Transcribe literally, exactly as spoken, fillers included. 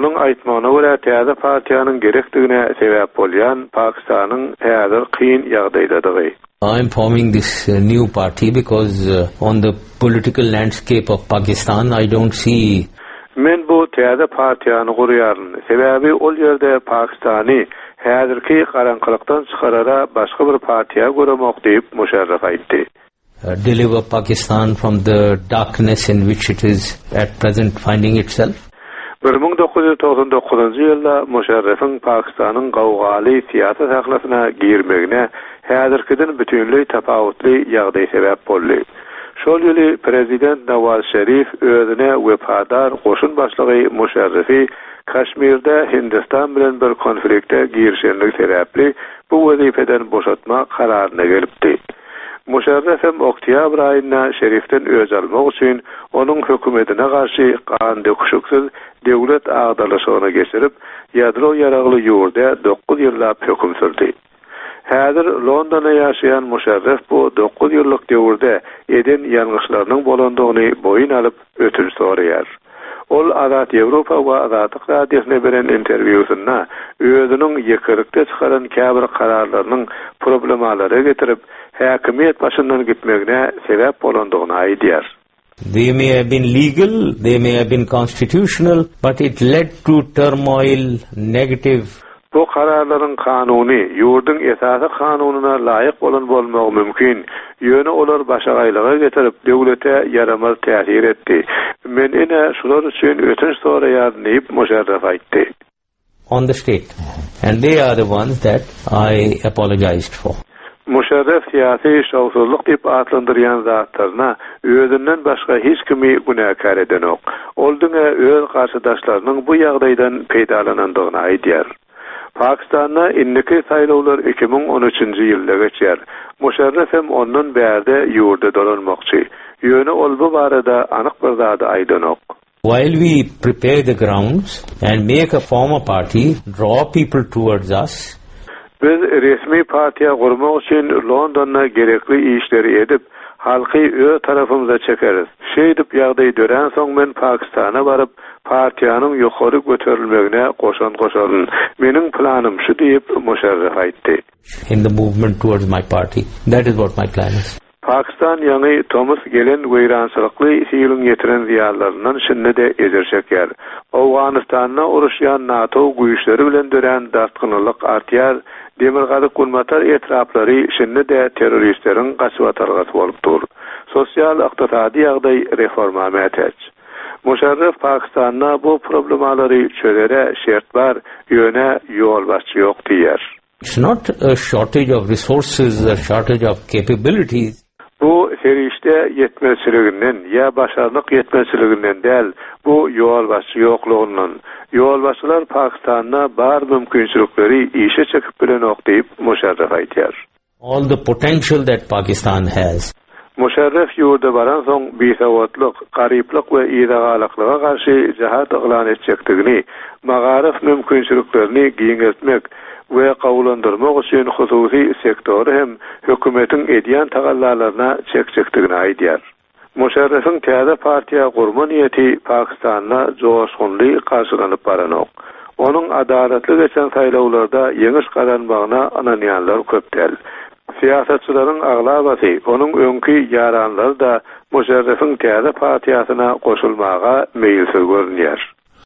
Onuň aýtmagyna görä täze partiýanyň gerekdigine sebäp bolýan Pakistanyň häzir kyn ýagdaýdadygy. I am forming this uh, new party because uh, on the political landscape of Pakistan I don't see Men bu täze partiýany gurýaryn. Sebäbi ol ýerde Pakistany häzirki garaňkylykdan çykarara başga bir partiýa göremok diýip Muşarraf aýtdy. uh, deliver Pakistan from the darkness in which it is at present finding itself. bir müň dokuz ýüz togsan dokuzynjy ýylda Muşarrafyň Pakistanyň gawgaly syýasy sahlasyna girmegine häzirkiden bütinleý tapawutly ýagdaý sebäp boldy. Şol ýyly prezident Nawaz Şerif özüne wepadar goşun başlygy Muşarrafy Kaşmirde Hindistan bilen bir konflikte girişenligi sebäpli bu wezipeden boşatma kararyna gelipdi. Muşarraf hem oktyabr aýynda Şerifden öç almak üçin onuň hökümetine garşy gan döküşiksiz döwlet agdarlyşygyny geçirip, ýadro ýaragly ýurda dokuz ýyllap höküm sürdi. Häzir Londonda ýaşaýan Muşarraf bu dokuz ýyllyk döwürde eden ýalňyşlarynyň bolandygyny boýun alyp ötünç soraýar. Ol Azat Ýewropa we Azatlyk radiosyna beren interwýusynda özüniň ýekelikde çykaran käbir kararlarynyň problemalara getirip, häkimiýet başyndan gitmegine sebäp bolandygyny aýdýar. They may have been legal, they may have been constitutional, but it led to turmoil, negative Bu kararlaryň kanuny, ýurduň esasy kanunyna laýyk bolan bolmagy mümkin. Ýöne olar başagaýlyga getirip, döwlete ýaramaz täsir etdi. Men ine şular üçin ötünç soraýaryn diýip Muşarraf aýtdy. on the state. And they are the ones that I apologized for. Muşarraf syýasy şowsuzlyk diýip atlandyrýan zatlaryna özünden başga hiç kimi günäkär edenok. Ol diňe öz garşydaşlarynyň bu ýagdaýdan peýdalanandygyny aýdýar. Pakistanda indiki saýlawlar iki müň on üçünji ýylda geçer. Muşarraf hem ondan bärde ýurda dolanmakçy. Ýöne ol bu barada anyk bir zady aýdanok. While we prepare the grounds and make a former party, draw people towards us. Biz resmi partiýa gurmak üçin Londonda gerekli işleri edip, halky öz tarapymyza çekeris. Şeýdip ýagdaý dörän soň men Pakistana baryp, partiýanyň ýokary göterilmegine goşant goşaryn. Meniň planym şu diýip Muşarraf aýtdy. In the movement towards my party. That is what my plan is. Pakistan ýaňy tomus gelen weýrançylykly ýylyň ýetiren zyýanlaryndan şindi-de ejir çekýär. Owganystanda uruşýan NATO güýçleri bilen dörän dartgynlyk artýar, Demirgazyk Günbatar etraplary şindi-de terroristleriň gaçybatalgasy bolup dur. Sosial ykdysady ýagdaý reforma mätäç. Muşarraf Pakistanda bu problemalary çözere şert bar, ýöne ýolbaşçy ýok diýär. It's not a shortage of resources, a shortage of capabilities. Bu serişde ýetmezçiliginden ýa başarnyk ýetmezçiliginden däl, bu ýolbaşçy ýoklugyndan. Ýolbaşçylar Pakistanda bar mümkinçilikleri işe çekip bilenok diýip Muşarraf aýdýar. All the potential that Pakistan has. Muşarraf ýurda baran soň bisawatlyk, garyplyk we yzagalaklyga garşy jihat yglan etjekdigini, magaryf mümkinçiliklerini giňeltmek we gawulandyrmak üçin hususy sektory hem hökümetiň edýän tagallalaryna çekjekdigini aýdýar. Muşarrafyň täze partiýa gurma niýeti Pakistanda joşgunly garşylanyp baranok. Onuň adalatly geçen saýlawlarda ýeňiş gazanmagyna ynanýanlar köp däl. Syýasatçylaryň aglabasy onuň öňki ýaranlary da Muşarrafyň täze partiýasyna goşulmaga meýilsiz görünýär.